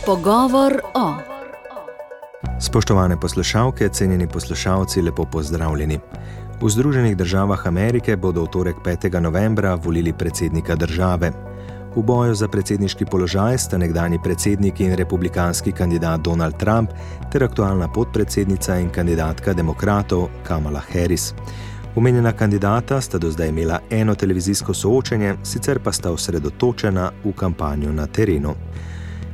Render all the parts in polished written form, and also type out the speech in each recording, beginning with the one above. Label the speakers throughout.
Speaker 1: Pogovor o.
Speaker 2: Spoštovane poslušalke, cenjeni poslušalci, lepo pozdravljeni. V Združenih državah Amerike bodo v torek 5. novembra volili predsednika države. V boju za predsedniški položaj sta nekdanji predsednik in republikanski kandidat Donald Trump ter aktualna podpredsednica in kandidatka demokratov Kamala Harris. Omenjena kandidata sta do zdaj imela eno televizijsko soočenje, sicer pa sta osredotočena v kampanjo na terenu.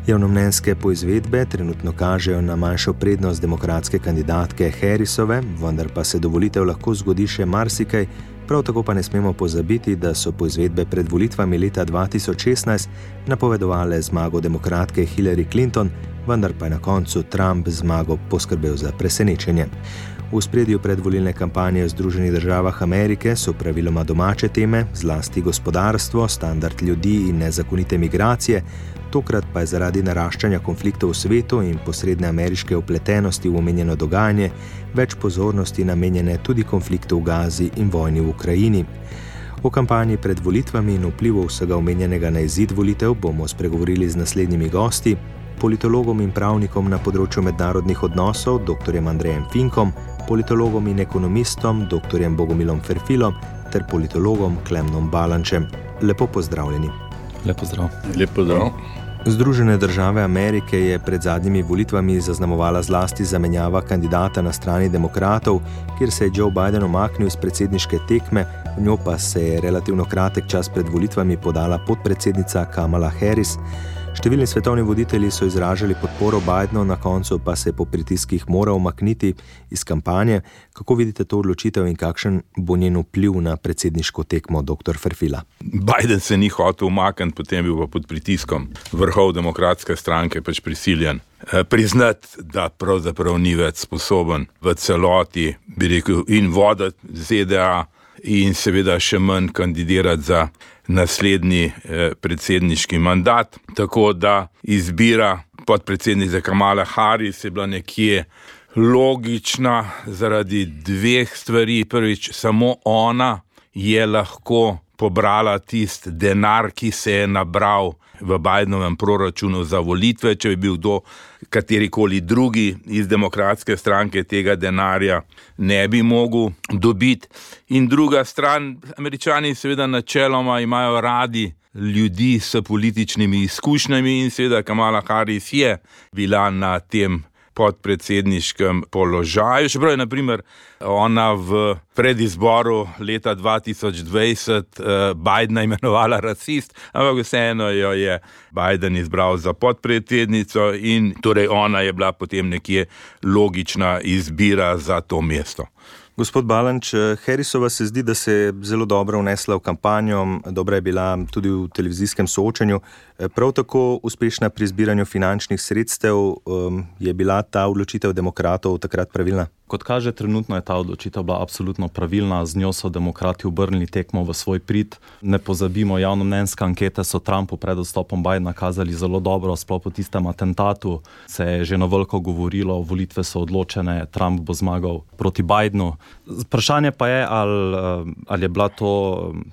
Speaker 2: Javnomnenjske poizvedbe trenutno kažejo na manjšo prednost demokratske kandidatke Harrisove, vendar pa se do volitev lahko zgodi še marsikaj, prav tako pa ne smemo pozabiti, da so poizvedbe pred volitvami leta 2016 napovedovale zmago demokratke Hillary Clinton, vendar pa je na koncu Trump zmago poskrbel za presenečenje. V ospredju predvolilne kampanje v Združenih državah Amerike so praviloma domače teme, zlasti gospodarstvo, standard ljudi in nezakonite migracije, tokrat pa je zaradi naraščanja konfliktov v svetu in posredne ameriške vpletenosti v omenjeno dogajanje več pozornosti namenjene tudi konfliktu v Gazi in vojni v Ukrajini. O kampanji pred volitvami in vplivu vsega omenjenega na izid volitev bomo spregovorili z naslednjimi gosti, politologom in pravnikom na področju mednarodnih odnosov, dr. Andrejem Finkom, politologom in ekonomistom, dr. Bogomilom Ferfilom ter politologom Klemnom Balančem. Lepo pozdravljeni.
Speaker 3: Lep pozdrav.
Speaker 4: Lep pozdrav.
Speaker 2: Združene države Amerike je pred zadnjimi volitvami zaznamovala zlasti zamenjava kandidata na strani demokratov, kjer se je Joe Biden umaknil iz predsedniške tekme, v njo pa se je relativno kratek čas pred volitvami podala podpredsednica Kamala Harris. Številni svetovni voditelji so izražali podporo Bidenu, na koncu pa se je po pritiskih moral umakniti iz kampanje. Kako vidite to odločitev in kakšen bo njen vpliv na predsedniško tekmo, dr. Ferfila?
Speaker 4: Biden se ni hotel umakniti, potem bil pa pod pritiskom vrhov demokratske stranke prisiljen priznati, da pravzaprav ni več sposoben v celoti, bi rekel, in voditi ZDA in seveda še manj kandidirati za naslednji predsedniški mandat. Tako da izbira podpredsednice Kamala Harris je bila nekje logična zaradi dveh stvari. Prvič, samo ona je lahko pobrala tisti denar, ki se je nabral v Bidenovem proračunu za volitve. Če bi bil kdo katerikoli drugi iz demokratske stranke, tega denarja ne bi mogel dobiti. In druga stran, Američani seveda načeloma imajo radi ljudi s političnimi izkušnjami in seveda Kamala Harris je bila na tem podpredsedniškem položaju. Čeprav je, na primer, ona v predizboru leta 2020 Bidena imenovala rasist, ampak vseeno jo je Biden izbral za podpredsednico in torej ona je bila potem nekje logična izbira za to mesto.
Speaker 2: Gospod Balanč, Harrisova se zdi, da se je zelo dobro vnesla v kampanjo, dobra je bila tudi v televizijskem soočenju. Prav tako uspešna pri zbiranju finančnih sredstev, je bila ta odločitev demokratov takrat pravilna?
Speaker 3: Kot kaže, trenutno je ta odločitev bila absolutno pravilna, z njo so demokrati obrnili tekmo v svoj prid. Ne pozabimo, javnomnenjske ankete so Trumpu pred odstopom Bidena kazali zelo dobro, sploh po tistem atentatu se je že na veliko govorilo, volitve so odločene, Trump bo zmagal proti Bidenu. Vprašanje pa je, ali je bila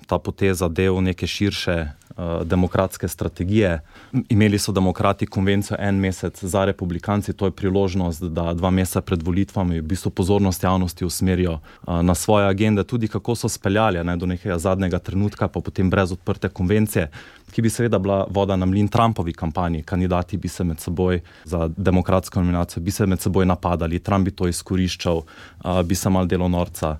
Speaker 3: ta poteza del neke širše demokratske strategije. Imeli so demokrati konvencijo en mesec za republikanci, to je priložnost, da 2 meseca pred volitvami v bistvu pozornost javnosti usmerijo na svoje agende, tudi kako so speljali do nekega zadnjega trenutka, pa potem brez odprte konvencije, ki bi seveda bila voda na mlin Trumpovi kampanji. Kandidati bi se med seboj za demokratsko nominacijo, bi se med seboj napadali, Trump bi to izkoriščal, bi se mal delo norca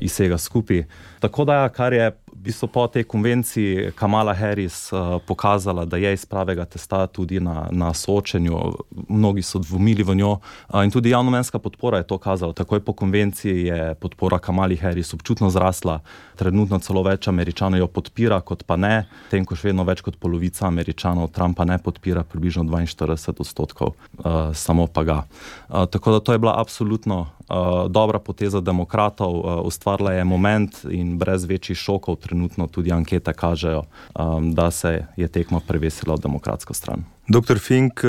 Speaker 3: iz vsega skupaj. Tako da, kar je v bistvu po tej konvenciji Kamala Harris pokazala, da je iz pravega testa tudi na soočenju. Mnogi so dvomili v njo in tudi javnomnenjska podpora je to kazala. Takoj po konvenciji je podpora Kamali Harris občutno zrasla. Trenutno celo več Američanov jo podpira, kot pa ne. Tem, ko še vedno več kot polovica Američanov Trumpa ne podpira, približno 42%, samo pa ga. Tako da to je bila absolutno dobra poteza demokratov, ustvarila je moment in brez večjih šokov trenutno tudi ankete kažejo, da se je tekma prevesila v demokratsko stran.
Speaker 2: Dr. Fink,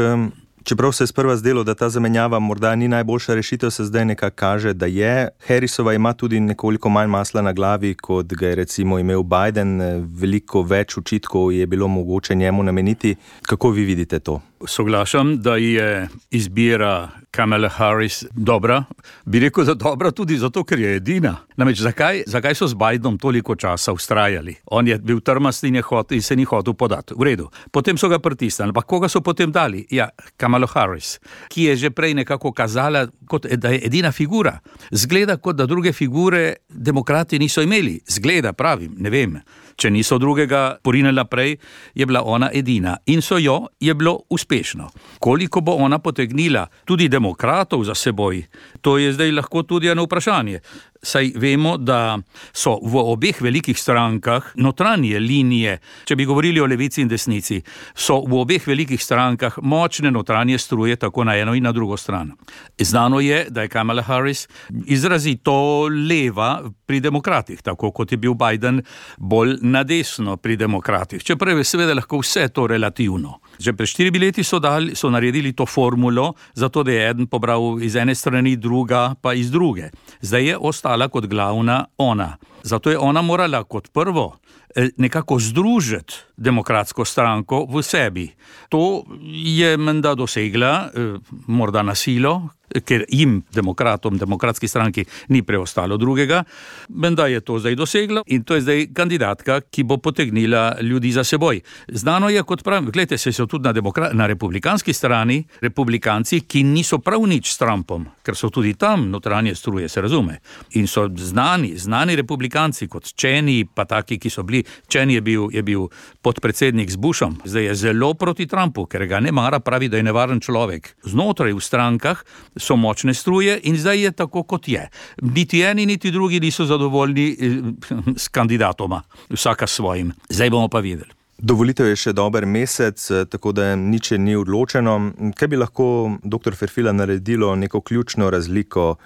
Speaker 2: čeprav se je sprva zdelo, da ta zamenjava morda ni najboljša rešitev, se zdaj nekako kaže, da je. Harrisova ima tudi nekoliko manj masla na glavi, kot ga je recimo imel Biden. Veliko več očitkov je bilo mogoče njemu nameniti. Kako vi vidite to?
Speaker 1: Soglašam, da je izbira Kamala Harris dobra. Bi rekel, da dobra tudi zato, ker je edina. Namreč, zakaj so z Bidenom toliko časa ustrajali? On je bil trmast in se ni hotel podati. V redu. Potem so ga pritisnili. Ampak koga so potem dali? Ja, Kamala Harris, ki je že prej nekako kazala, kot da je edina figura. Zgleda, kot da druge figure demokrati niso imeli. Zgleda, pravim, ne vem. Če niso drugega porinila prej, je bila ona edina. In je bilo uspešno. Koliko bo ona potegnila tudi demokratov za seboj, to je zdaj lahko tudi eno vprašanje. Saj vemo, da so v obeh velikih strankah notranje linije, če bi govorili o levici in desnici, so v obeh velikih strankah močne notranje struje tako na eno in na drugo stran. Znano je, da je Kamala Harris izrazito leva pri demokratih, tako kot je bil Biden bolj na desno pri demokratih. Čeprav je seveda lahko vse to relativno. Že pred 4 leti so naredili to formulo, zato da je eden pobral iz ene strani, druga pa iz druge. Zdaj je ostala kot glavna ona. Zato je ona morala kot prvo nekako združiti demokratsko stranko v sebi. To je menda dosegla, morda na silo, ker jim, demokratom, demokratski stranki, ni preostalo drugega. Menda je to zdaj dosegla in to je zdaj kandidatka, ki bo potegnila ljudi za seboj. Znano je, kot pravim, gledajte, se so tudi na republikanski strani republikanci, ki niso prav nič s Trumpom, ker so tudi tam notranje struje, se razume. In so znani republikanci, kot Cheney, pa taki, ki so bili. Cheney je bil podpredsednik z Bushom, zdaj je zelo proti Trumpu, ker ga ne mara, pravi, da je nevaren človek. Znotraj v strankah so močne struje in zdaj je tako, kot je. Niti eni, niti drugi niso zadovoljni s kandidatoma, vsaka svojim. Zdaj bomo pa videli.
Speaker 2: Do volitev je še dober mesec, tako da nič ni odločeno. Kaj bi lahko dr. Ferfila naredilo neko ključno razliko?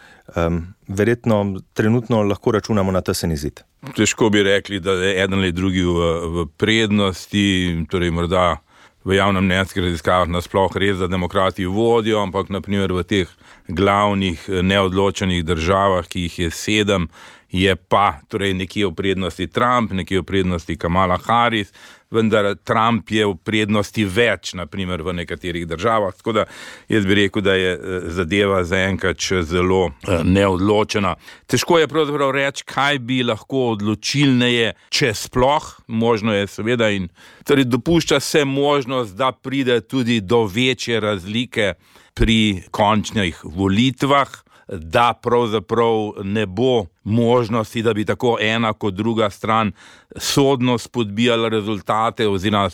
Speaker 2: Verjetno trenutno lahko računamo na tesen izid.
Speaker 4: Težko bi rekli, da je eden ali drugi v prednosti, torej morda v javnomnenjskih raziskavah nasploh res, da demokrati vodijo, ampak naprimer v teh glavnih neodločenih državah, ki jih je 7, je pa torej nekje v prednosti Trump, nekje v prednosti Kamala Harris, vendar Trump je v prednosti več, naprimer v nekaterih državah, tako da jaz bi rekel, da je zadeva zaenkrat še zelo neodločena. Težko je pravzaprav reči, kaj bi lahko odločilneje, če sploh, možno je seveda in torej dopušča se možnost, da pride tudi do večje razlike pri končnih volitvah, da pravzaprav ne bo možnosti, da bi tako ena kot druga stran sodno spodbijala rezultate oziroma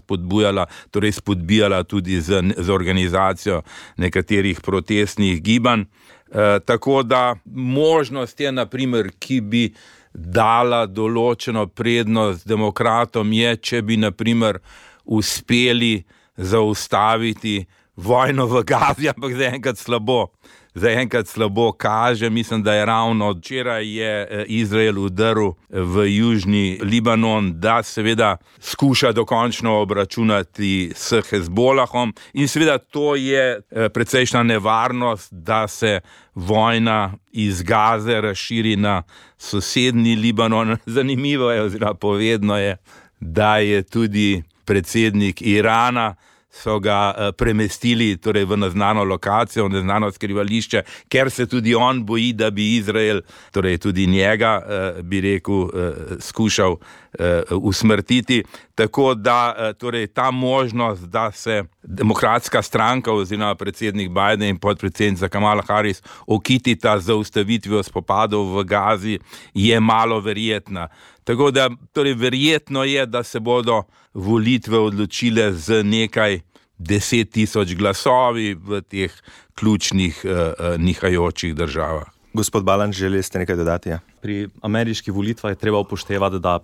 Speaker 4: spodbijala tudi z organizacijo nekaterih protestnih gibanj. Tako da možnost je, naprimer, ki bi dala določeno prednost demokratom, je, če bi, naprimer, uspeli zaustaviti vojno v Gazi, ampak zaenkrat slabo kaže. Mislim, da je ravno včeraj je Izrael udaril v južni Libanon, da seveda skuša dokončno obračunati s Hezbolahom in seveda to je precejšnja nevarnost, da se vojna iz Gaze razširi na sosednji Libanon. Zanimivo je oziroma povedno je, da je tudi predsednik Irana so ga premestili torej v neznano lokacijo, v neznano skrivališče, ker se tudi on boji, da bi Izrael, torej tudi njega, bi rekel, skušal usmrtiti. Tako da torej ta možnost, da se demokratska stranka oziroma predsednik Biden in podpredsednica Kamala Harris okitita z zaustavitvijo spopadov v Gazi, je malo verjetna. Tako da torej verjetno je, da se bodo volitve odločile z nekaj 10,000 glasovi v teh ključnih nihajočih državah.
Speaker 2: Gospod Balanč, želeli ste nekaj dodati? Ja?
Speaker 3: Pri ameriških volitvah je treba upoštevati, da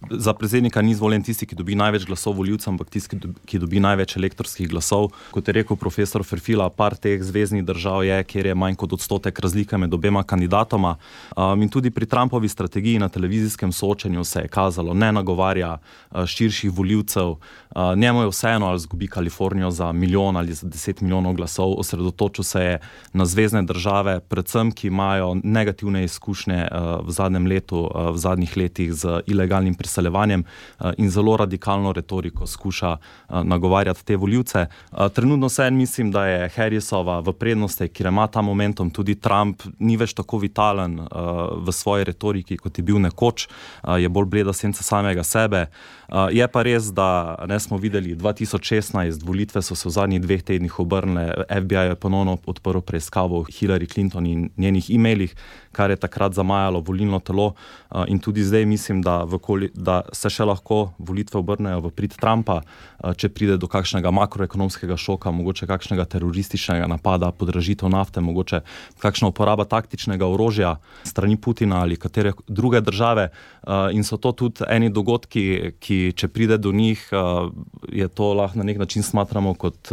Speaker 3: za predsednika ni izvoljen tisti, ki dobi največ glasov volivcev, ampak tisti, ki dobi največ elektorskih glasov. Kot je rekel profesor Ferfila, par teh zveznih držav je, kjer je manj kot 1% razlike med obema kandidatoma. In tudi pri Trumpovi strategiji na televizijskem soočenju se je kazalo, ne nagovarja širših volivcev. Njemu je vseeno, ali zgubi Kalifornijo za 1 milijon ali za 10 milijonov glasov. Osredotočil se je na zvezne države, predvsem, ki imajo negativne izkušnje v zadnjem letu, v zadnjih letih z ilegalnim priseljenjem razseljevanjem in zelo radikalno retoriko skuša nagovarjati te volivce. Trenutno mislim, da je Harrisova v prednosti, kjer ima ta momentum, tudi Trump ni več tako vitalen v svoji retoriki, kot je bil nekoč, je bolj bleda senca samega sebe. Je pa res, da ne smo videli 2016, volitve so se v zadnjih 2 tednih obrnile, FBI je ponovno odprl preiskavo Hillary Clinton in njenih e-mailih, kar je takrat zamajalo volilno telo in tudi zdaj mislim, da se še lahko volitve obrnejo v prid Trumpa, če pride do kakšnega makroekonomskega šoka, mogoče kakšnega terorističnega napada, podražitev nafte, mogoče kakšna uporaba taktičnega orožja strani Putina ali katere druge države in so to tudi eni dogodki, ki če pride do njih, je to lahko na nek način smatramo kot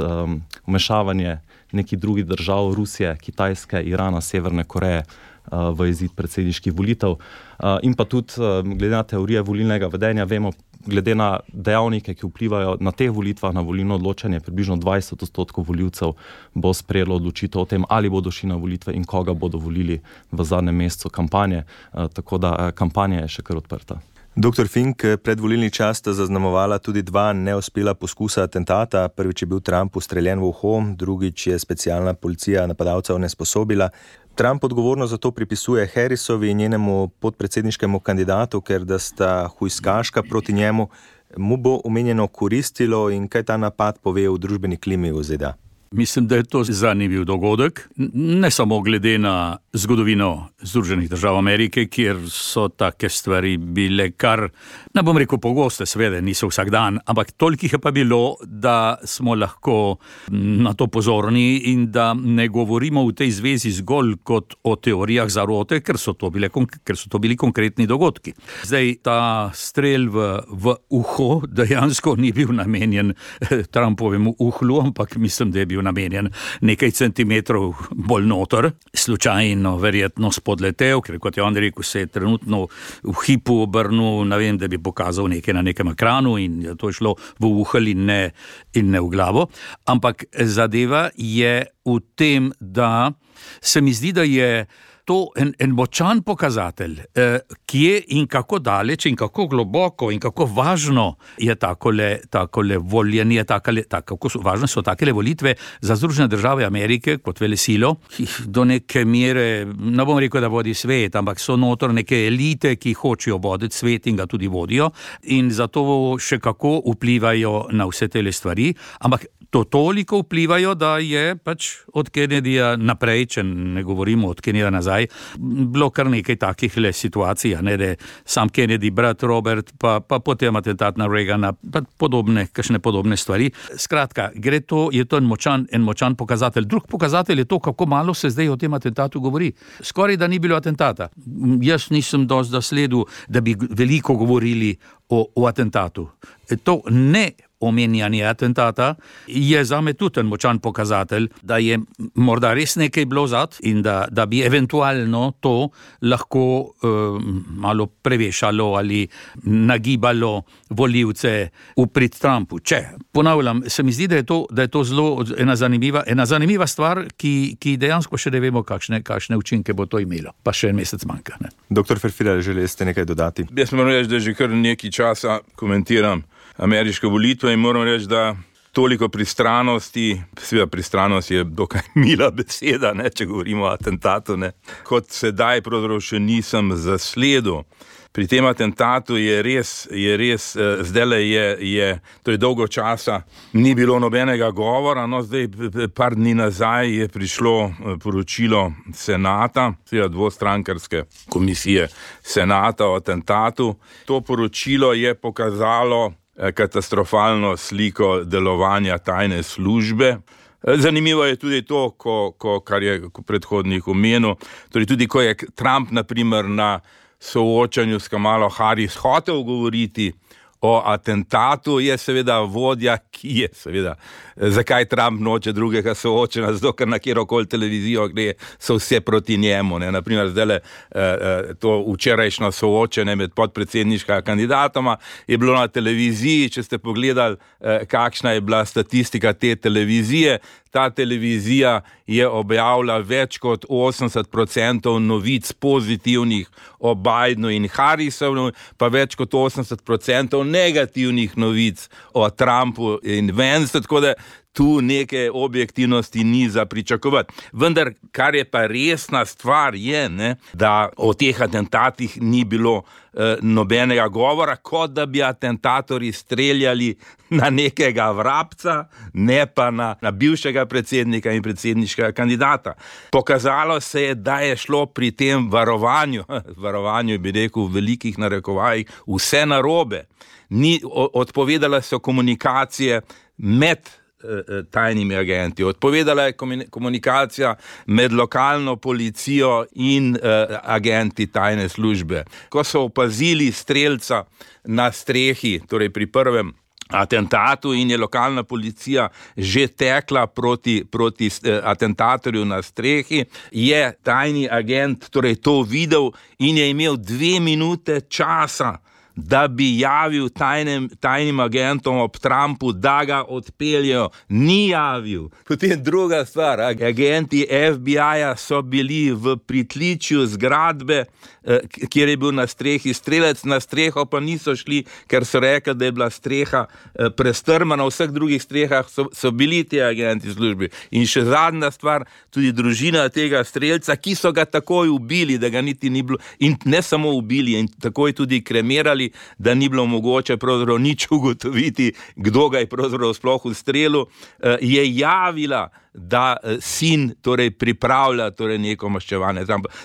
Speaker 3: vmešavanje nekih drugih držav, Rusije, Kitajske, Irana, Severne Koreje v izid predsedniških volitev. In pa tudi glede na teorije volilnega vedenja, vemo, glede na dejavnike, ki vplivajo na teh volitvah, na volilno odločanje, približno 20% volivcev bo sprejelo odločitev o tem, ali bodo šli na volitve in koga bodo volili v zadnjem mesecu kampanje. Tako da kampanja je še kar odprta.
Speaker 2: Dr. Fink, predvolilni čas sta zaznamovala tudi 2 neuspela poskusa atentata. Prvič je bil Trump ustreljen v uho, drugič je specialna policija napadalca onesposobila. Trump odgovorno za to pripisuje Harrisovi in njenemu podpredsedniškemu kandidatu, ker da sta hujskaška proti njemu. Mu bo omenjeno koristilo in kaj ta napad pove v družbeni klimi v ZDA?
Speaker 1: Mislim, da je to zanimiv dogodek, ne samo glede na zgodovino Združenih držav Amerike, kjer so take stvari bile kar, ne bom rekel pogoste, seveda niso vsak dan, ampak toliko je pa bilo, da smo lahko na to pozorni in da ne govorimo v tej zvezi zgolj kot o teorijah zarote, ker so to bili konkretni dogodki. Zdaj, ta strel v uho dejansko ni bil namenjen Trumpovemu uhlu, ampak mislim, da je bil namenjen nekaj centimetrov bolj noter, slučajno verjetno spodletel, ker kot je on rekel, se je trenutno v hipu obrnil, ne vem, da bi pokazal nekaj na nekem ekranu in to je šlo v uhelj in ne v glavo. Ampak zadeva je v tem, da se mi zdi, da je to en močan pokazatelj, kje in kako daleč in kako globoko in kako važno je takole voljenje, kako važne so takele volitve za Združene države Amerike kot velesilo. Do neke mere, ne bom rekel, da vodi svet, ampak so notor neke elite, ki hočejo voditi svet in ga tudi vodijo in zato še kako vplivajo na vse tele stvari, ampak to toliko vplivajo, da je pač od Kennedyja naprej, če ne govorimo od Kennedyja nazaj, bilo kar nekaj takih situacij, ne, da sam Kennedy, brat Robert, pa potem atentat na Reagana, pa kakšne podobne stvari. Skratka, je to en močan pokazatelj. Drug pokazatelj je to, kako malo se zdaj o tem atentatu govori. Skoraj da ni bilo atentata. Jaz nisem dosti zasledil, da bi veliko govorili o atentatu. To ne omenjanje atentata je zame tudi en močan pokazatelj, da je morda res nekaj bilo zad in da bi eventualno to lahko malo prevešalo ali nagibalo volivce v prid Trumpu. Ponavljam, se mi zdi, da je to zelo ena zanimiva stvar, ki dejansko še ne vemo, kakšne učinke bo to imelo. Pa še en mesec manjka. Ne?
Speaker 2: Dr. Ferfilar, želeli ste nekaj dodati?
Speaker 4: Jaz moram reči, da že kar nekaj časa komentiram ameriške volitve in moram reči, da toliko pristranosti, seveda pristranost je dokaj mila beseda, ne, če govorimo o atentatu, ne, kot sedaj pravzaprav še nisem zasledil. Pri tem atentatu je res, zdajle to je dolgo časa, ni bilo nobenega govora, no zdaj par dni nazaj je prišlo poročilo Senata, seveda dvostrankarske komisije Senata o atentatu. To poročilo je pokazalo katastrofalno sliko delovanja tajne službe. Zanimivo je tudi to, kar je predhodnik omenil, torej tudi ko je Trump na primer na soočanju s Kamalo Harris hotel govoriti o atentatu, je seveda vodja, ki je seveda, zakaj Trump noče drugega soočena, zato ker na kjerokoli televizijo gre, so vse proti njemu. Ne? Naprimer, zdajle to včerajšnjo soočenje med podpredsedniškega kandidatoma je bilo na televiziji, če ste pogledali, kakšna je bila statistika te televizije, ta televizija je objavila več kot 80% novic pozitivnih o Bidenu in Harrisu, pa več kot 80% negativnih novic o Trumpu in Vance, tako da tu neke objektivnosti ni za pričakovati. Vendar, kar je pa resna stvar je, da o teh atentatih ni bilo nobenega govora, kot da bi atentatorji streljali na nekega vrabca, ne pa na bivšega predsednika in predsedniškega kandidata. Pokazalo se je, da je šlo pri tem varovanju bi rekel v velikih narekovajih, vse narobe. Odpovedala so komunikacije med tajnimi agenti. Odpovedala je komunikacija med lokalno policijo in agenti tajne službe. Ko so opazili strelca na strehi, torej pri prvem atentatu in je lokalna policija že tekla proti atentatorju na strehi, je tajni agent torej to videl in je imel 2 minute časa, da bi javil tajnim agentom ob Trumpu, da ga odpeljejo. Ni javil. Potem druga stvar, agenti FBI-ja so bili v pritličju zgradbe, kjer je bil na strehi strelec, na streho pa niso šli, ker so rekli, da je bila streha prestrmana, v vseh drugih strehah so bili ti agenti službi. In še zadnja stvar, tudi družina tega strelca, ki so ga takoj ubili, da ga niti ni bilo, in ne samo ubili, in takoj tudi kremirali, da ni bilo mogoče pravzaprav nič ugotoviti, kdo ga je pravzaprav sploh ustrelil, je javila, da sin torej pripravlja torej neko maščevanje.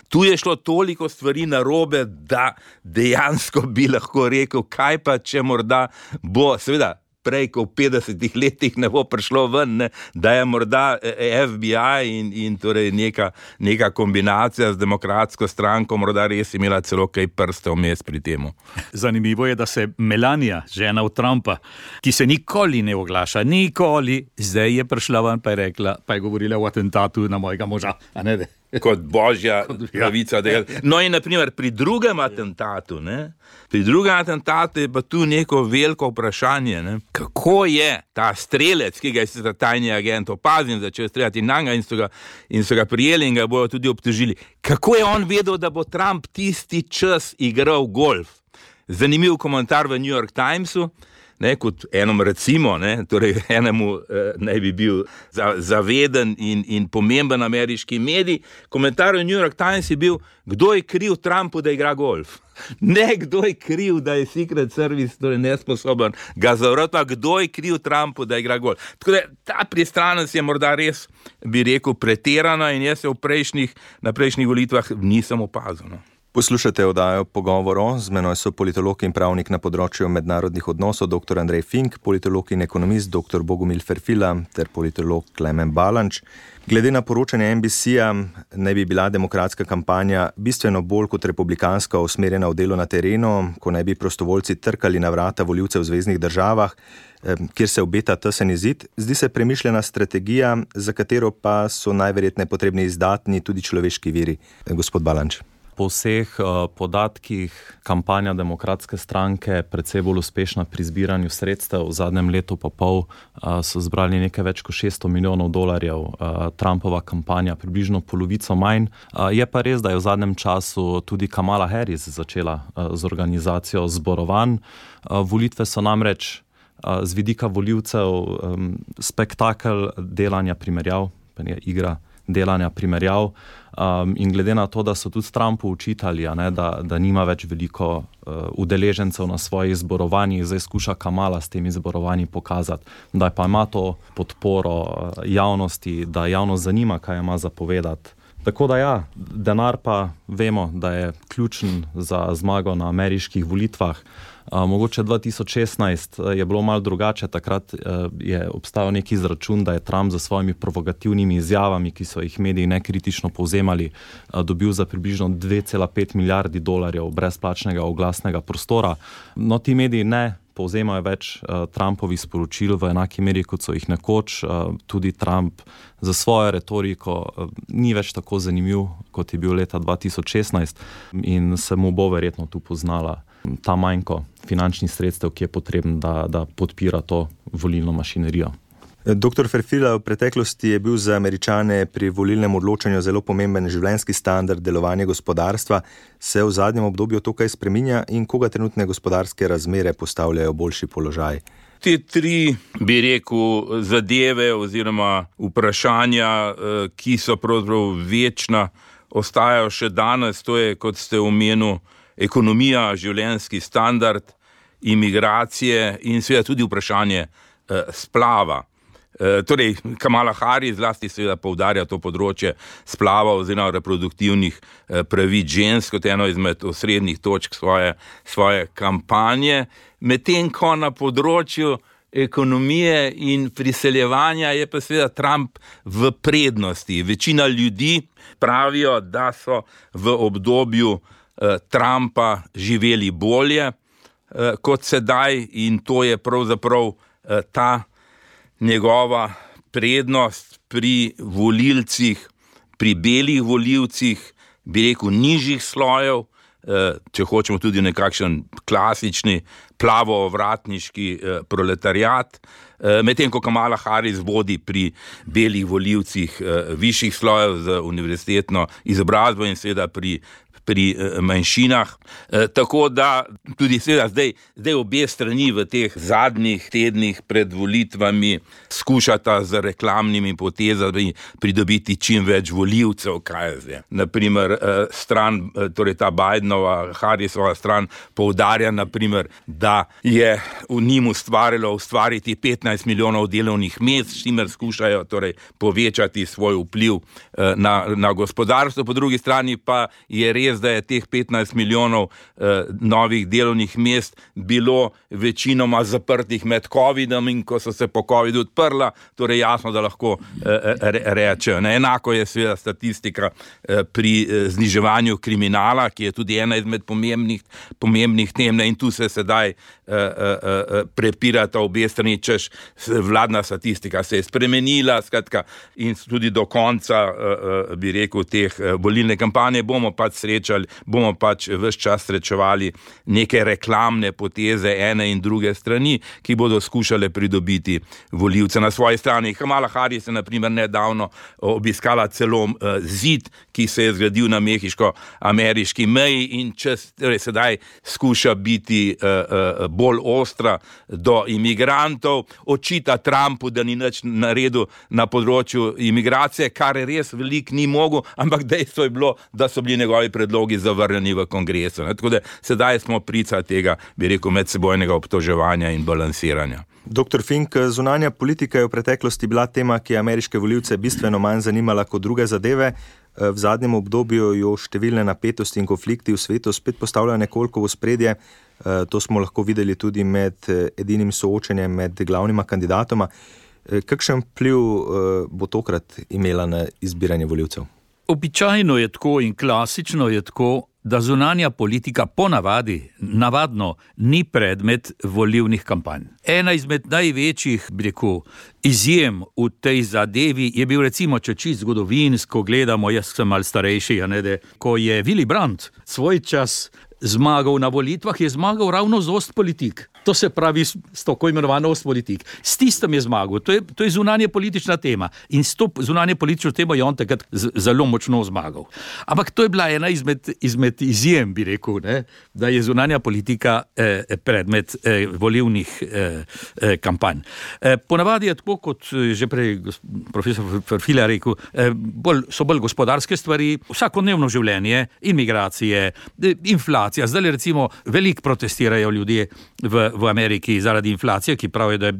Speaker 4: Tu je šlo toliko stvari narobe, da dejansko bi lahko rekel, kaj pa, če morda bo, seveda, prej, ko v 50 letih ne bo prišlo ven, da je morda FBI in torej neka kombinacija z demokratsko stranko morda res imela celo kaj prste vmes pri temu.
Speaker 1: Zanimivo je, da se Melania, žena od Trumpa, ki se nikoli ne oglaša, zdaj je prišla ven pa je rekla, pa je govorila o atentatu na mojega moža, a ne da?
Speaker 4: Kot božja pravica. No in naprimer pri drugem atentatu, je pa tu neko veliko vprašanje, kako je ta strelec, ki ga je sicer tajni agent opazil, začel streljati na njega in so ga prijeli in ga bojo tudi obtožili. Kako je on vedel, da bo Trump tisti čas igral golf? Zanimiv komentar v New York Timesu, kot enom recimo, torej enemu naj bi bil zaveden in pomemben ameriški medij. Komentar v New York Times je bil, kdo je kriv Trumpu, da igra golf. Ne, kdo je kriv, da je Secret Service torej nesposoben ga zavrati, kdo je kriv Trumpu, da igra golf. Tako da ta pristranost je morda res, bi rekel, pretirana in jaz se na prejšnjih volitvah nisem opazil.
Speaker 2: Poslušate oddajo Pogovor, z menoj so politolog in pravnik na področju mednarodnih odnosov dr. Andrej Fink, politolog in ekonomist dr. Bogomil Ferfila ter politolog Klemen Balanč. Glede na poročanje NBC-ja naj bi bila demokratska kampanja bistveno bolj kot republikanska usmerjena v delo na terenu, ko naj bi prostovoljci trkali na vrata volivcev v zveznih državah, kjer se obeta tesen izid. Zdi se premišljena strategija, za katero pa so najverjetneje potrebni izdatni tudi človeški viri. Gospod Balanč.
Speaker 3: Po vseh podatkih kampanja demokratske stranke precej bolj uspešna pri zbiranju sredstev. V zadnjem letu pa pol so zbrali nekaj več kot $600 milijonov. Trumpova kampanja približno polovico manj. Je pa res, da je v zadnjem času tudi Kamala Harris začela z organizacijo zborovanj. Volitve so namreč z vidika volivcev spektakel delanja primerjav, igra delanja primerjav. In glede na to, da so tudi Trumpu učitali, da nima več veliko udeležencev na svojih zborovanjih, zdaj skuša Kamala s temi zborovanji pokazati, da pa ima to podporo javnosti, da javnost zanima, kaj ima za povedati. Tako da ja, denar pa vemo, da je ključen za zmago na ameriških volitvah. Mogoče 2016 je bilo malo drugače, takrat je obstajal neki izračun, da je Trump za svojimi provokativnimi izjavami, ki so jih mediji nekritično povzemali, dobil za približno $2,5 milijardi brezplačnega oglasnega prostora. No, ti mediji ne povzemajo več Trumpovih sporočil v enaki meri, kot so jih nekoč. Tudi Trump za svojo retoriko ni več tako zanimiv, kot je bil leta 2016 in se mu bo verjetno tu poznala ta manjko finančnih sredstev, ki je potreben, da podpira to volilno mašinerijo.
Speaker 2: Dr. Ferfila, v preteklosti je bil za Američane pri volilnem odločanju zelo pomemben življenjski standard, delovanje gospodarstva. Se v zadnjem obdobju to kaj spreminja in koga trenutne gospodarske razmere postavljajo v boljši položaj?
Speaker 4: Te tri, bi rekel, zadeve oziroma vprašanja, ki so pravzaprav večna, ostajajo še danes. To je, kot ste omenili, ekonomija, življenjski standard, imigracije in seveda tudi vprašanje splava. Torej, Kamala Harris zlasti seveda poudarja to področje splava oziroma reproduktivnih pravic žensk kot eno izmed osrednjih točk svoje kampanje, medtem ko na področju ekonomije in priseljevanja je pa seveda Trump v prednosti. Večina ljudi pravijo, da so v obdobju Trumpa živeli bolje kot sedaj in to je pravzaprav ta njegova prednost pri volilcih, pri belih volilcih, bi rekel, nižjih slojev, če hočemo tudi nekakšen klasični plavo-ovratniški proletariat, medtem ko Kamala Harris vodi pri belih volilcih višjih slojev z univerzitetno izobrazbo in seveda pri manjšinah. Tako da tudi seveda zdaj obe strani v teh zadnjih tednih pred volitvami skušata z reklamnimi potezami pridobiti čim več volivcev, kaj je zdaj. Naprimer, torej ta Bidenova, Harrisova stran poudarja, naprimer, da je v njim ustvariti 15 milijonov delovnih mest, s čimer skušajo torej povečati svoj vpliv na gospodarstvo. Po drugi strani pa je res, da je teh 15 milijonov novih delovnih mest bilo večinoma zaprtih med covidom in ko so se po covidu odprla, torej jasno, da lahko rečejo. Enako je seveda statistika pri zniževanju kriminala, ki je tudi ena izmed pomembnih tem, in tu se sedaj prepirata obe strani, češ vladna statistika se je spremenila, skratka, in tudi do konca, bi rekel, teh volilne kampanje bomo pač ves čas srečevali neke reklamne poteze ene in druge strani, ki bodo skušale pridobiti volivce na svoji strani. Kamala Harris je na primer nedavno obiskala celo zid, ki se je zgradil na mehiško-ameriški meji in torej sedaj skuša biti bolj ostra do imigrantov, očita Trumpu, da ni nič naredil na področju imigracije, kar res veliko ni mogel, ampak dejstvo je bilo, da so bili njegovi predlogi zavrnjeni v kongresu. Tako da sedaj smo priča tega, bi rekel, medsebojnega obtoževanja in balansiranja.
Speaker 2: Dr. Fink, zunanja politika je v preteklosti bila tema, ki je ameriške volivce bistveno manj zanimala kot druge zadeve. V zadnjem obdobju jo številne napetosti in konflikti v svetu spet postavljajo nekoliko v ospredje. To smo lahko videli tudi med edinim soočenjem med glavnima kandidatoma. Kakšen vpliv bo tokrat imela na izbiranje volivcev?
Speaker 1: Običajno je tako in klasično je tako, da zunanja politika navadno ni predmet volilnih kampanj. Ena izmed največjih, bi rekel, izjem v tej zadevi je bil recimo, če čisto zgodovinsko gledamo, jaz sem malo starejši, ko je Willy Brandt svoj čas zmagal na volitvah, je zmagal ravno z Ostpolitik. To se pravi s tako imenovano Ostpolitik. S tistem je zmagal. To je zunanje politična tema. In s to zunanje politično temo je on takrat zelo močno zmagal. Ampak to je bila ena izmed izjem, bi rekel, da je zunanja politika predmet volilnih kampanj. Ponavadi je tako, kot že prej profesor Ferfila rekel, so bolj gospodarske stvari, vsakodnevno življenje, imigracije, inflacija. Zdaj recimo veliko protestirajo ljudje v Ameriki zaradi inflacije, ki pravijo,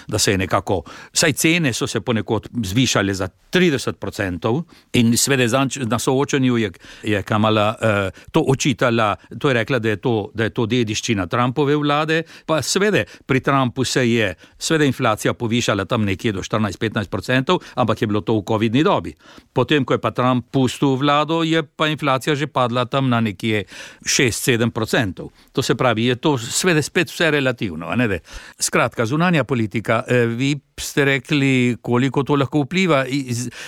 Speaker 1: da se je nekako, saj cene so se ponekod zvišale za 30% in seveda na soočanju je Kamala to očitala, to je rekla, da je to dediščina Trumpove vlade, pa seveda pri Trumpu se je seveda inflacija povišala tam nekje do 14-15%, ampak je bilo to v covidni dobi. Potem, ko je pa Trump pustil vlado, je pa inflacija že padla tam na nekje 6-7%. To se pravi, je to seveda spet vse relativno. Skratka, zunanja politika, vi ste rekli, koliko to lahko vpliva.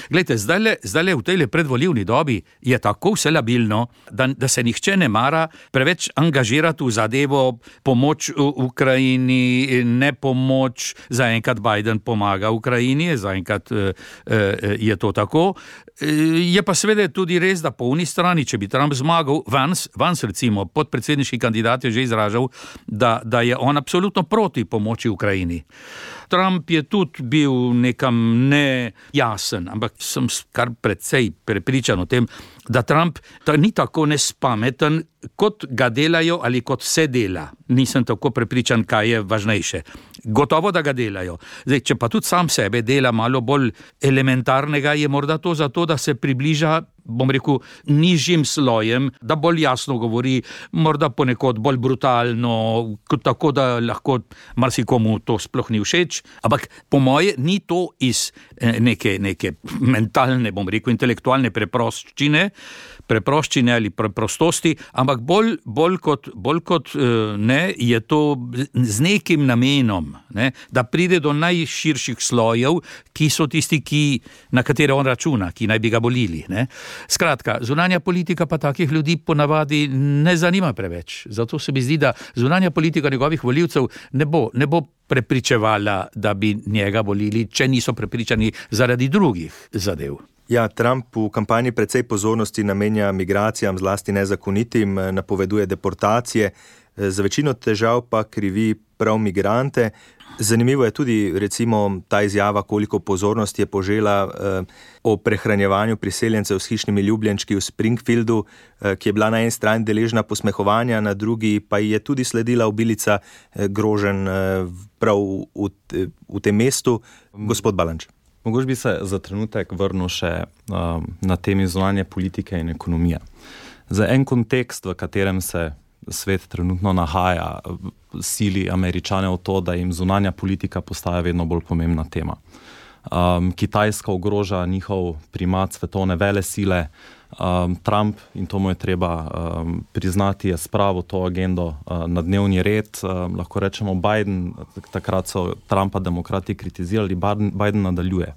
Speaker 1: Glejte, zdaj v tej predvolilni dobi je tako vse labilno, da se nihče ne mara preveč angažirati v zadevo pomoč Ukrajini, ne pomoč, zaenkrat Biden pomaga Ukrajini, zaenkrat je to tako. Je pa seveda tudi res, da po uni strani, če bi Trump zmagal, Vance recimo, podpredsedniški kandidat je že izražal, da je on absolutno proti pomoči Ukrajini. Trump je tudi bil nekam nejasen, ampak sem kar precej prepričan o tem, da Trump ni tako nespameten, kot ga delajo ali kot se dela. Nisem tako prepričan, kaj je važnejše. Gotovo, da ga delajo. Zdaj, če pa tudi sam sebe dela malo bolj elementarnega, je morda to zato, da se približa, bom rekel, nižjim slojem, da bolj jasno govori, morda ponekod bolj brutalno, tako da lahko marsikomu to sploh ni všeč, ampak po moje ni to iz neke mentalne, bom rekel, intelektualne preproščine ali preprostosti, ampak bolj kot ne, je to z nekim namenom, ne, da pride do najširših slojev, ki so tisti, na katere on računa, ki naj bi ga volili, ne. Skratka, zunanja politika pa takih ljudi ponavadi ne zanima preveč. Zato se mi zdi, da zunanja politika njegovih volivcev ne bo prepričevala, da bi njega volili, če niso prepričani zaradi drugih zadev.
Speaker 2: Ja, Trump v kampanji precej pozornosti namenja migracijam, zlasti nezakonitim, napoveduje deportacije, za večino težav pa krivi prav migrante. Zanimivo je tudi recimo ta izjava, koliko pozornosti je požela o prehranjevanju priseljencev s hišnimi ljubljenčki v Springfieldu, ki je bila na eni strani deležna posmehovanja, na drugi pa je tudi sledila obilica groženj prav v tem mestu. Gospod Balanč.
Speaker 3: Mogoče bi se za trenutek vrnil še na temi zunanje politike in ekonomije. Za en kontekst, v katerem se svet trenutno nahaja, sili Američane v to, da jim zunanja politika postaja vedno bolj pomembna tema. Kitajska ogroža njihov primat svetovne velesile, Trump, in to mu je treba priznati, je spravil to agendo na dnevni red. Lahko rečemo Biden, takrat so Trumpa demokrati kritizirali, Biden nadaljuje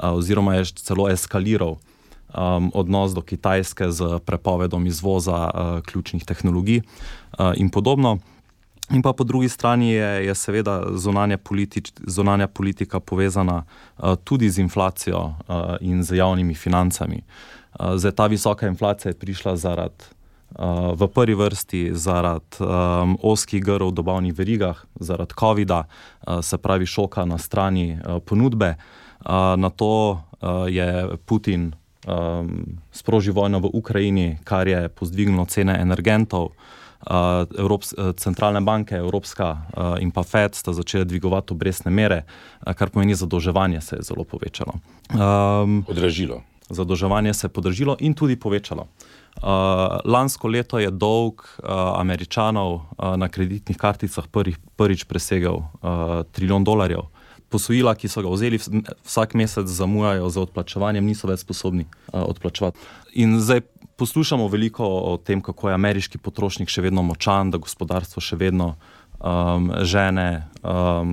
Speaker 3: oziroma je celo eskaliral odnos do Kitajske z prepovedom izvoza ključnih tehnologij in podobno. In pa po drugi strani je seveda zunanja politika povezana tudi z inflacijo in z javnimi financami. Zdaj, ta visoka inflacija je prišla v prvi vrsti zaradi ozkih grl v dobavnih verigah, zaradi covida, se pravi šoka na strani ponudbe. Na to je Putin sprožil vojno v Ukrajini, kar je pozdvignilo cene energentov. Centralne banke, Evropska in pa Fed sta začeli dvigovati obrestne mere, kar pomeni zadolževanje se je zelo povečalo. Zadolževanje se je podražilo in tudi povečalo. Lansko leto je dolg Američanov na kreditnih karticah prvič presegel $1 trilijon. Posojila, ki so ga vzeli, vsak mesec zamujajo za odplačevanjem, niso več sposobni odplačevati. In zdaj poslušamo veliko o tem, kako je ameriški potrošnik še vedno močan, da gospodarstvo še vedno žene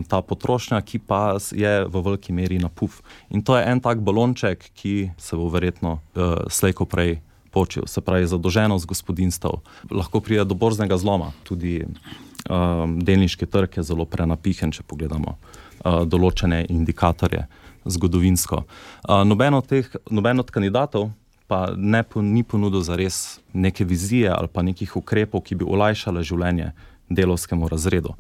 Speaker 3: ta potrošnja, ki pa je v veliki meri napuf. In to je en tak balonček, ki se bo verjetno slej ko prej počil. Se pravi, zadolženost gospodinjstev. Lahko pride do borznega zloma. Tudi delniški trg je zelo prenapihen, če pogledamo določene indikatorje zgodovinsko. Noben od kandidatov pa ni ponudil zares neke vizije ali pa nekih ukrepov, ki bi olajšale življenje delovskemu razredu.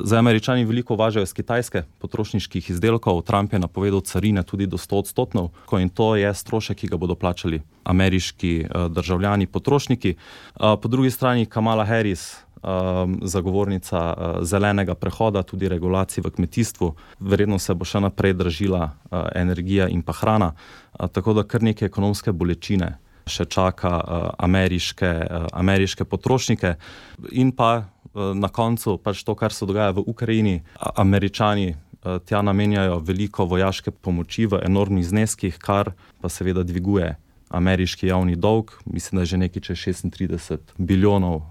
Speaker 3: Zdaj Američani veliko uvažajo iz Kitajske potrošniških izdelkov, Trump je napovedal carine tudi do 100%, in to je strošek, ki ga bodo plačali ameriški državljani, potrošniki. Po drugi strani Kamala Harris, zagovornica zelenega prehoda, tudi regulacij v kmetijstvu, verjetno se bo še naprej dražila energija in pa hrana, tako da kar neke ekonomske bolečine še čaka ameriške potrošnike. In pa na koncu pač to, kar se dogaja v Ukrajini. Američani tja namenjajo veliko vojaške pomoči v enormnih zneskih, kar pa seveda dviguje ameriški javni dolg, mislim, da je že nekaj čez $36 bilijonov.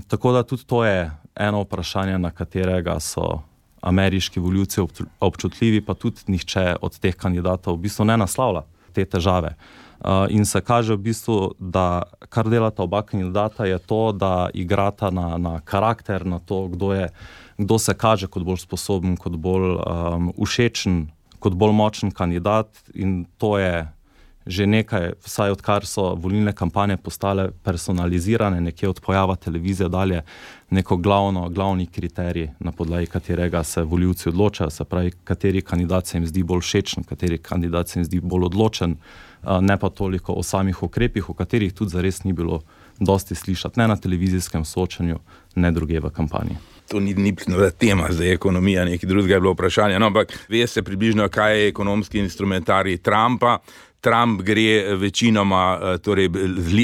Speaker 3: Tako da tudi to je eno vprašanje, na katerega so ameriški volivci občutljivi, pa tudi nihče od teh kandidatov v bistvu ne naslavlja te težave. In se kaže v bistvu, da kar delata oba kandidata je to, da igrata na karakter, na to, kdo se kaže kot bolj sposoben, kot bolj všečen, kot bolj močen kandidat, in to je že nekaj, vsaj odkar so volilne kampanje postale personalizirane, nekje od pojava televizije dalje, neko glavni kriterij, na podlagi katerega se volivci odločajo, se pravi, kateri kandidat se jim zdi bolj všečen, kateri kandidat se jim zdi bolj odločen, ne pa toliko o samih ukrepih, o katerih tudi zares ni bilo dosti slišati, ne na televizijskem soočanju, ne druge v kampanji.
Speaker 4: To ni tema za ekonomija, nekaj drugega je bilo vprašanje, no, ampak ve se približno, kaj je ekonomski instrumentarij Trumpa. Trump gre večinoma torej,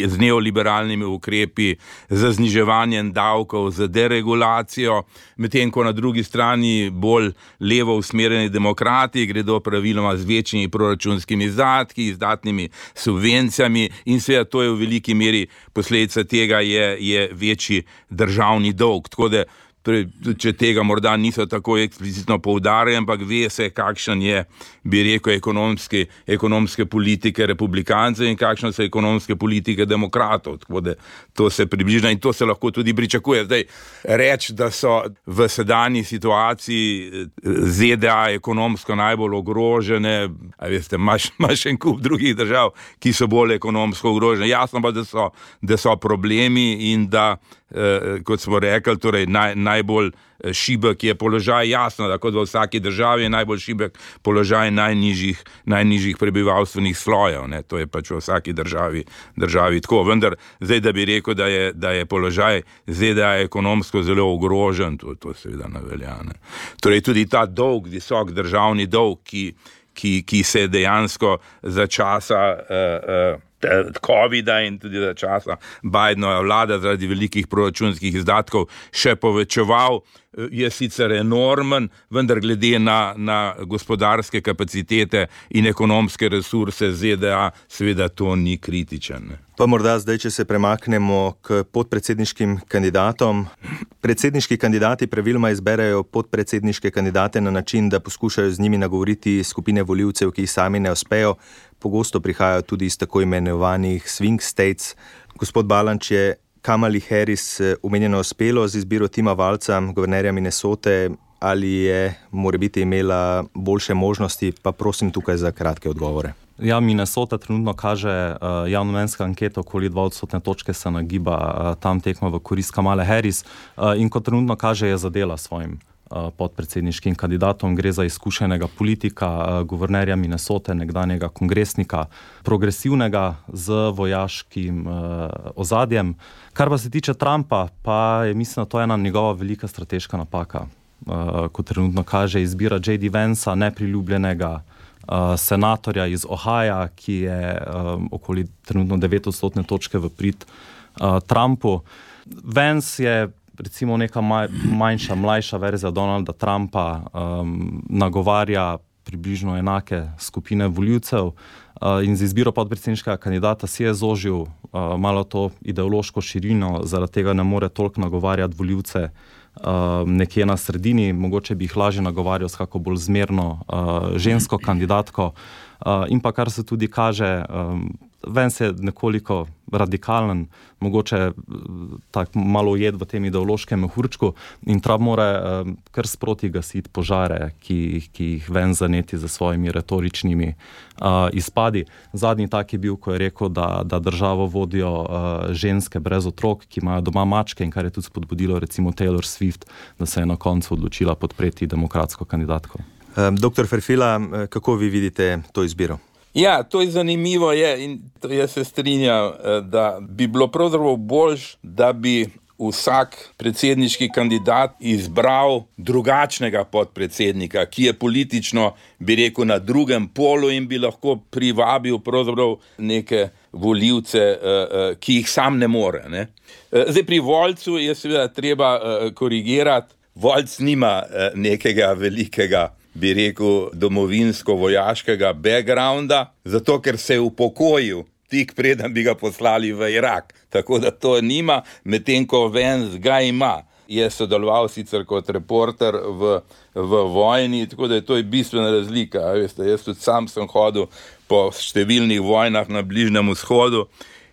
Speaker 4: z neoliberalnimi ukrepi, z zniževanjem davkov, z deregulacijo, medtem ko na drugi strani bolj levo usmerjeni demokrati gredo praviloma z večjimi proračunskimi izdatki, izdatnimi subvencijami in seveda to je v veliki meri posledica tega je večji državni dolg. Tako da če tega morda niso tako eksplicitno poudarjali, ampak ve se, kakšen je, bi rekel, ekonomske politike republikancev in kakšne so ekonomske politike demokratov. Tako da to se približa in to se lahko tudi pričakuje. Zdaj, reči, da so v sedanji situaciji ZDA ekonomsko najbolj ogrožene, a veste, imaš en kup drugih držav, ki so bolj ekonomsko ogrožene. Jasno pa, da so problemi in da, kot smo rekli, torej najbolj šibek je položaj, jasno, da kot v vsaki državi je najbolj šibek položaj najnižjih prebivalstvenih slojev, ne, to je pač v vsaki državi tako, vendar zdaj, da bi rekel, da je položaj ZDA ekonomsko zelo ogrožen, to seveda ne velja, ne. Torej tudi ta visok državni dolg, ki se dejansko za časa COVID-a in tudi za časa Bidenova vlada zaradi velikih proračunskih izdatkov še povečeval, je sicer enormen, vendar glede na gospodarske kapacitete in ekonomske resurse ZDA, seveda to ni kritičen. Ne.
Speaker 2: Pa morda zdaj, če se premaknemo k podpredsedniškim kandidatom. Predsedniški kandidati praviloma izberejo podpredsedniške kandidate na način, da poskušajo z njimi nagovoriti skupine volivcev, ki jih sami ne uspejo. Pogosto prihajajo tudi iz tako imenovanih swing states. Gospod Balanč, je Kamali Harris omenjeno uspelo z izbiro Tima Walza, guvernerja Minnesote, ali je morebiti imela boljše možnosti, pa prosim tukaj za kratke odgovore.
Speaker 3: Ja, Minnesota trenutno kaže javnomnenjska anketa, okoli 2% točke se nagiba tam tekma v korist Kamale Harris in kot trenutno kaže, je zadela svojim podpredsedniškim kandidatom. Gre za izkušenega politika, guvernerja Minnesote, nekdanjega kongresnika, progresivnega z vojaškim ozadjem. Kar pa se tiče Trumpa, pa je, mislim, da to ena njegova velika strateška napaka. Kot trenutno kaže, izbira J.D. Vansa, nepriljubljenega senatorja iz Ohaja, ki je okoli trenutno 9% točke v prid Trumpu. Vance je recimo neka manjša, mlajša verzija Donalda Trumpa, nagovarja približno enake skupine volivcev in z izbiro podpredsedniškega kandidata si je zožil malo to ideološko širino, zaradi tega ne more toliko nagovarjati volivce nekje na sredini, mogoče bi jih lažje nagovarjal s kako bolj zmerno žensko kandidatko in pa kar se tudi kaže, Vance je nekoliko radikalen, mogoče tako malo ujed v tem ideološkem mehurčku in Trump mora kar sproti gasiti požare, ki jih Vance zaneti za svojimi retoričnimi izpadi. Zadnji tak je bil, ko je rekel, da državo vodijo ženske brez otrok, ki imajo doma mačke in kar je tudi spodbudilo recimo Taylor Swift, da se je na koncu odločila podpreti demokratsko kandidatko.
Speaker 2: Dr. Ferfila, kako vi vidite to izbiro?
Speaker 4: Ja, to je zanimivo in jaz se strinjam, da bi bilo pravzaprav boljš, da bi vsak predsedniški kandidat izbral drugačnega podpredsednika, ki je politično, bi rekel, na drugem polu in bi lahko privabil pravzaprav neke volivce, ki jih sam ne more. Ne? Zdaj pri Walzu je seveda treba korigirati. Walz nima nekega velikega, bi rekel, domovinsko-vojaškega backgrounda, zato ker se je upokojil tik preden bi ga poslali v Irak. Tako da to nima, medtem ko Vance ga ima. je sodeloval sicer kot reporter v vojni, tako da to je bistvena razlika. Veste, jaz tudi sam sem hodil po številnih vojnah na Bližnjem vzhodu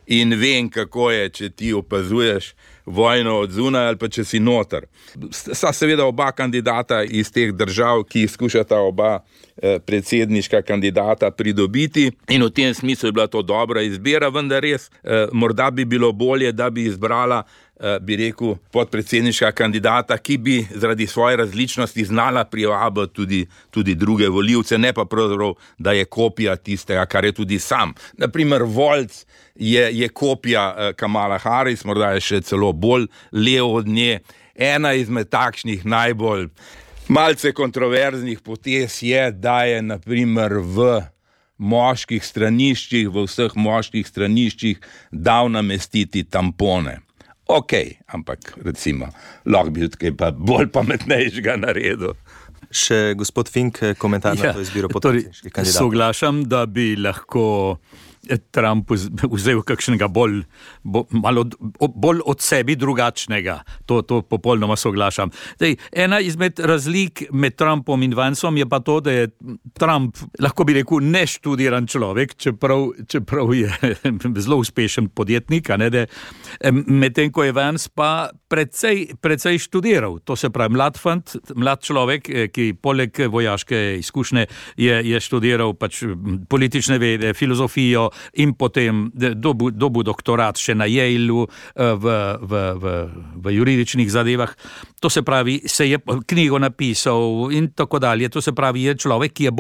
Speaker 4: in vem, kako je, če ti opazuješ vojno od zunaj ali pa če si noter. Sta seveda oba kandidata iz teh držav, ki jih skušata oba predsedniška kandidata pridobiti in v tem smislu je bila to dobra izbira, vendar res morda bi bilo bolje, da bi izbrala bi rekel, podpredsedniška kandidata, ki bi zaradi svoje različnosti znala privabiti tudi druge volivce, ne pa pravzaprav, da je kopija tistega, kar je tudi sam. Naprimer, Volc je kopija Kamala Harris, morda je še celo bolj levo od nje. Ena izmed takšnih najbolj malce kontroverznih potez je, da je naprimer v moških straniščih, v vseh moških straniščih dal namestiti tampone. Ok, ampak recimo, lahko bi tudi pa bolj pametnejšega naredil.
Speaker 2: Še gospod Fink, komentar na to izbiro podpredsedniških kandidatov.
Speaker 1: Soglašam, da bi lahko Trump vzel kakšnega bolj od sebi drugačnega. To popolnoma soglašam. Ena izmed razlik med Trumpom in Vanceom je pa to, da je Trump, lahko bi rekel, neštudiran človek, čeprav je zelo uspešen podjetnik, medtem ko je Vance pa precej študiral. To se pravi, mlad človek, ki poleg vojaške izkušnje je študiral pač politične vede, filozofijo, in potem dobil doktorat še na Yaleu v juridičnih zadevah. To se pravi, se je knjigo napisal in tako dalje. To se pravi, je človek, ki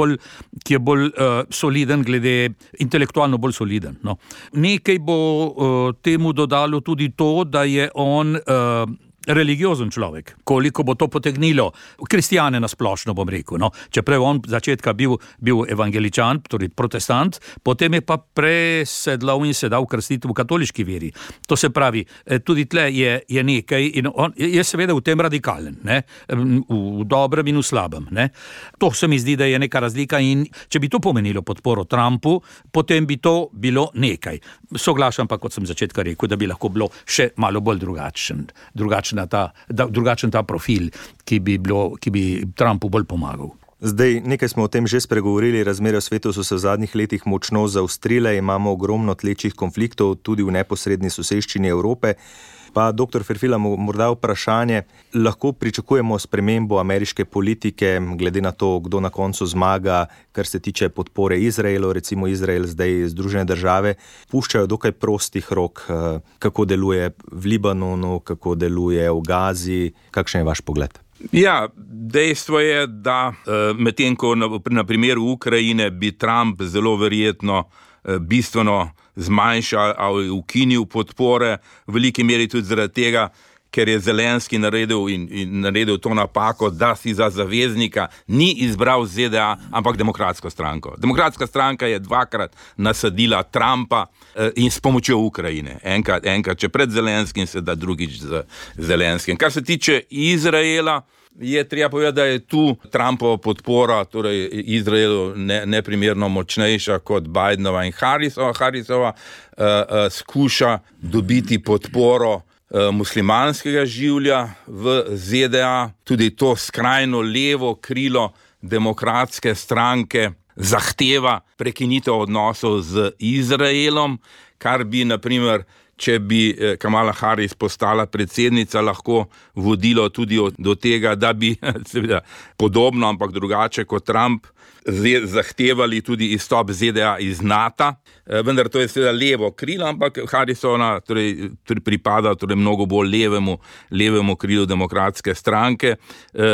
Speaker 1: je bolj soliden, intelektualno bolj soliden. No. Nekaj bo temu dodalo tudi to, da je on religiozen človek. Koliko bo to potegnilo? Kristjane nasplošno, bom rekel. No. Čeprav on začetka bil evangeličan, torej protestant, potem je pa presedlal in se dal krstiti v katoliški veri. To se pravi, tudi tle je nekaj in on je seveda v tem radikalen, ne? V dobrem in v slabem. Ne? To se mi zdi, da je neka razlika in če bi to pomenilo podporo Trumpu, potem bi to bilo nekaj. Soglašam pa, kot sem začetka rekel, da bi lahko bilo še malo bolj drugačen ta profil, ki bi Trumpu bolj pomagal.
Speaker 2: Zdaj, nekaj smo o tem že spregovorili, razmere v svetu so se v zadnjih letih močno zaostrile, imamo ogromno tlečih konfliktov tudi v neposredni soseščini Evrope. Pa, doktor Ferfila, morda vprašanje, lahko pričakujemo spremembo ameriške politike, glede na to, kdo na koncu zmaga, kar se tiče podpore Izraelu, recimo Izrael zdaj Združene države, puščajo dokaj prostih rok, kako deluje v Libanonu, kako deluje v Gazi, kakšen je vaš pogled?
Speaker 4: Ja, dejstvo je, da medtem ko na primeru Ukrajine bi Trump zelo verjetno bistveno zmanjšal ali ukinil podpore, v veliki meri tudi zaradi tega, ker je Zelenski naredil to napako, da si za zaveznika ni izbral ZDA, ampak Demokratsko stranko. Demokratska stranka je dvakrat nasadila Trumpa in s pomočjo Ukrajine. Enkrat če pred Zelenskim, sedaj drugič z Zelenskim. Kar se tiče Izraela, je treba povedati, da je tu Trumpova podpora, torej Izraelu neprimerno močnejša kot Bidenova in Harrisova. Harrisova skuša dobiti podporo muslimanskega življa v ZDA, tudi to skrajno levo krilo Demokratske stranke zahteva prekinitev odnosov z Izraelom, kar bi, naprimer, če bi Kamala Harris postala predsednica, lahko vodilo tudi do tega, da bi seveda podobno, ampak drugače kot Trump, zahtevali tudi izstop ZDA iz NATO, vendar to je seveda levo krilo, ampak Harrisova pripada pripada mnogo bolj levemu krilu Demokratske stranke,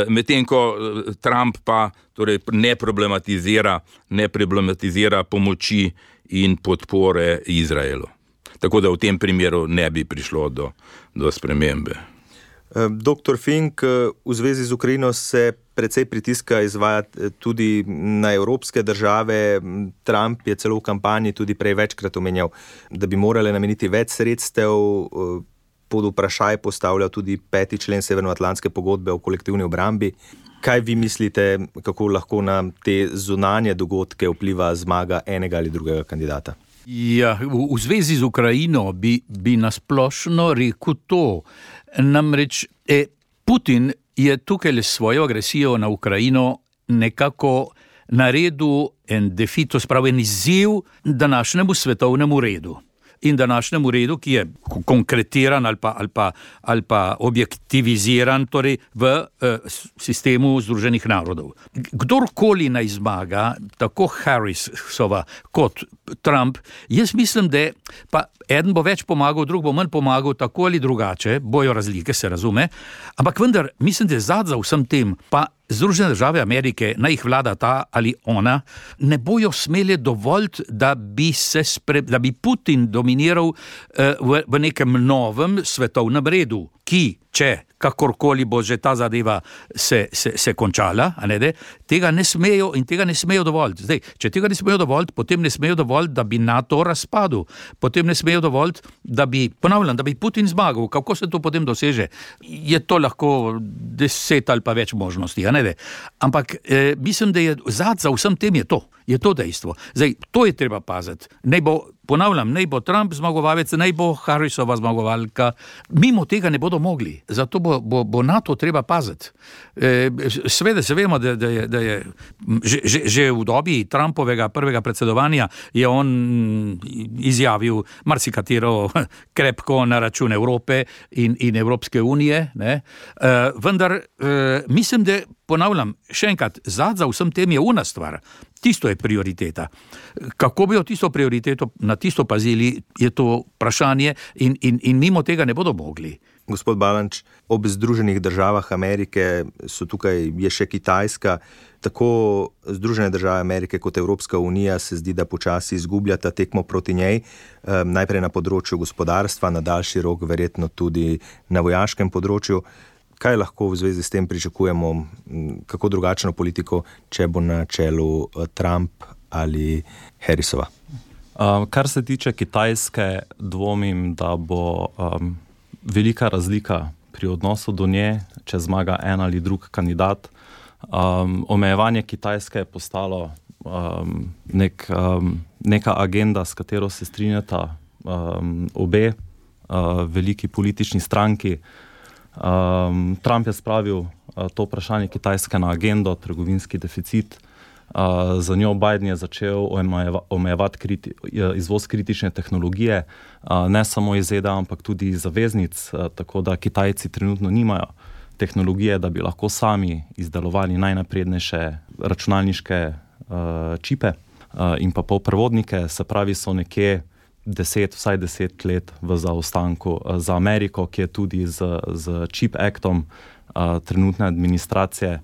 Speaker 4: medtem ko Trump pa ne problematizira pomoči in podpore Izraelu. Tako da v tem primeru ne bi prišlo do spremembe.
Speaker 2: Doktor Fink, v zvezi z Ukrajino se precej pritiska izvaja tudi na evropske države. Trump je celo v kampanji tudi prej večkrat omenjal, da bi morali nameniti več sredstev, pod vprašaj postavlja tudi 5. člen Severnoatlantske pogodbe o kolektivni obrambi. Kaj vi mislite, kako lahko na te zunanje dogodke vpliva zmaga enega ali drugega kandidata?
Speaker 1: Ja, v zvezi z Ukrajino bi nasplošno rekel to. Namreč Putin je tukaj s svojo agresijo na Ukrajino nekako naredil en defeat, to spravi en izziv današnjemu svetovnemu redu. In današnjemu redu, ki je konkretiran ali pa objektiviziran, torej v sistemu Združenih narodov. Kdorkoli naj zmaga, tako Harrisova kot Trump, jaz mislim, da pa eden bo več pomagal, drug bo manj pomagal, tako ali drugače, bojo razlike, se razume, ampak vendar mislim, da za vsem tem pa Združene države Amerike, naj jih vlada ta ali ona, ne bojo smeli dovoliti, da bi Putin dominiral v nekem novem svetovnem redu, ki, če kakorkoli bo že ta zadeva se končala, tega ne smejo in tega ne smejo dovoliti. Zdaj, če tega ne smejo dovoliti, potem ne smejo dovoliti, da bi NATO razpadel, potem ne smejo dovoliti, da bi Putin zmagal. Kako se to potem doseže? Je to lahko 10 ali pa več možnosti, Ampak mislim, da je za vsem tem je to dejstvo. Zdaj, to je treba paziti. Naj bo Trump zmagovalec, naj bo Harrisova zmagovalka, mimo tega ne bodo mogli. Zato bo NATO treba paziti. Seveda se vemo, da je že v dobi Trumpovega prvega predsedovanja je on izjavil marsikatero krepko na račun Evrope in Evropske unije, vendar mislim, da ponavljam, še enkrat, za vsem tem je una stvar. Tisto je prioriteta. Kako bi tisto prioriteto na tisto pazili, je to vprašanje in mimo tega ne bodo mogli.
Speaker 2: Gospod Balanč, ob Združenih državah Amerike je še Kitajska. Tako Združene države Amerike kot Evropska unija se zdi, da počasi izgubljata tekmo proti njej. Najprej na področju gospodarstva, na daljši rok verjetno tudi na vojaškem področju. Kaj lahko v zvezi s tem pričakujemo, kako drugačno politiko, če bo na čelu Trump ali Harrisova?
Speaker 3: Kar se tiče Kitajske, dvomim, da bo velika razlika pri odnosu do nje, če zmaga en ali drug kandidat. Omejevanje Kitajske je postalo neka agenda, s katero se strinjata obe veliki politični stranki. Trump je spravil to vprašanje Kitajske na agendo, trgovinski deficit. Za njo Biden je začel omejevati izvoz kritične tehnologije, ne samo iz ZDA, ampak tudi iz zaveznic, tako da Kitajci trenutno nimajo tehnologije, da bi lahko sami izdelovali najnaprednejše računalniške čipe in pa polprevodnike, se pravi so nekje vsaj 10 let v zaostanku za Ameriko, ki je tudi z Chip Actom trenutne administracije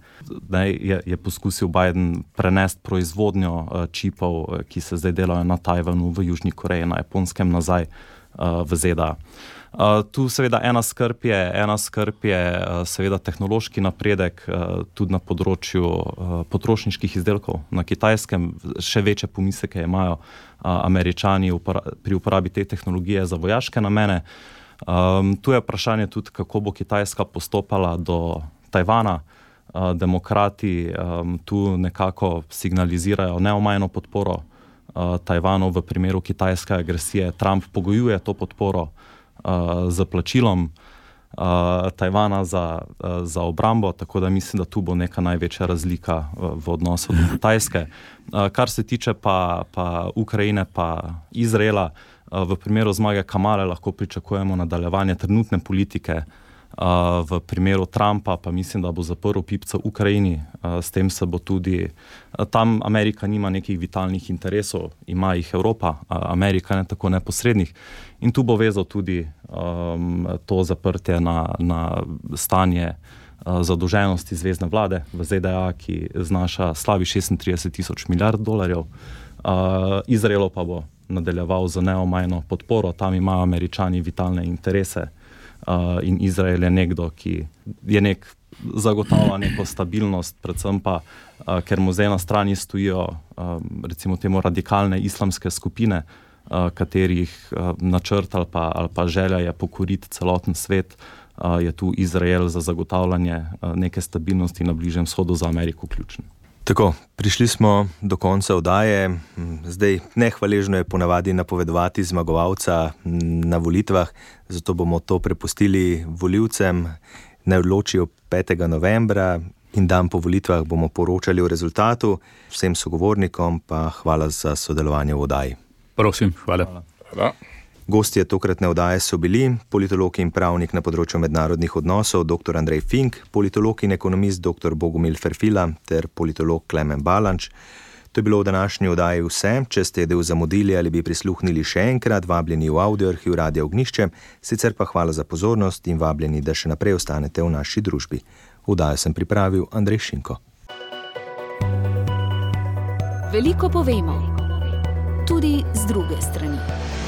Speaker 3: je poskusil Biden prenesti proizvodnjo čipov, ki se zdaj delajo na Tajvanu, v Južni Koreji, na Japonskem nazaj v ZDA. Tu seveda ena skrb je seveda tehnološki napredek tudi na področju potrošniških izdelkov. Na Kitajskem še večje pomisleke imajo Američani pri uporabi te tehnologije za vojaške namene. Tu je vprašanje tudi, kako bo Kitajska postopala do Tajvana. Demokrati tu nekako signalizirajo neomajno podporo Tajvanu v primeru kitajske agresije. Trump pogojuje to podporo z plačilom Tajvana za obrambo, tako da mislim, da tu bo neka največja razlika v odnosu do Kitajske. Kar se tiče pa Ukrajine pa Izraela, v primeru zmage Kamale lahko pričakujemo nadaljevanje trenutne politike. V primeru Trumpa pa mislim, da bo zaprl pipco Ukrajini. S tem se bo tudi... Tam Amerika nima nekih vitalnih interesov, ima jih Evropa, Amerika ne tako neposrednih. In tu bo vezal tudi to zaprtje na stanje zadolženosti zvezne vlade v ZDA, ki znaša slabi 36 milijard $. Izraelu pa bo nadaljeval z neomajno podporo. Tam imajo Američani vitalne interese. In Izrael je nekdo, ki je zagotavlja neko stabilnost, predvsem pa, ker mu zdaj na strani stojijo recimo temu radikalne islamske skupine, katerih načrt ali pa želja je pokoriti celoten svet, je tu Izrael za zagotavljanje neke stabilnosti na Bližnjem vzhodu za Ameriko ključen.
Speaker 2: Tako, prišli smo do konca oddaje. Zdaj nehvaležno je ponavadi napovedovati zmagovalca na volitvah, zato bomo to prepustili volivcem. ne odločijo 5. novembra in dan po volitvah bomo poročali o rezultatu. Vsem sogovornikom pa hvala za sodelovanje v oddaji.
Speaker 1: Prosim, hvala.
Speaker 2: Gostje tokratne oddaje so bili politolog in pravnik na področju mednarodnih odnosov dr. Andrej Fink, politolog in ekonomist dr. Bogomil Ferfila ter politolog Klemen Balanč. To je bilo v današnji oddaji vse. Če ste del zamudili ali bi prisluhnili še enkrat, vabljeni v audioarhiv Radia Ognjišče, sicer pa hvala za pozornost in vabljeni, da še naprej ostanete v naši družbi. Oddajo sem pripravil Andrej Šinko.
Speaker 5: Veliko povemo, tudi z druge strani.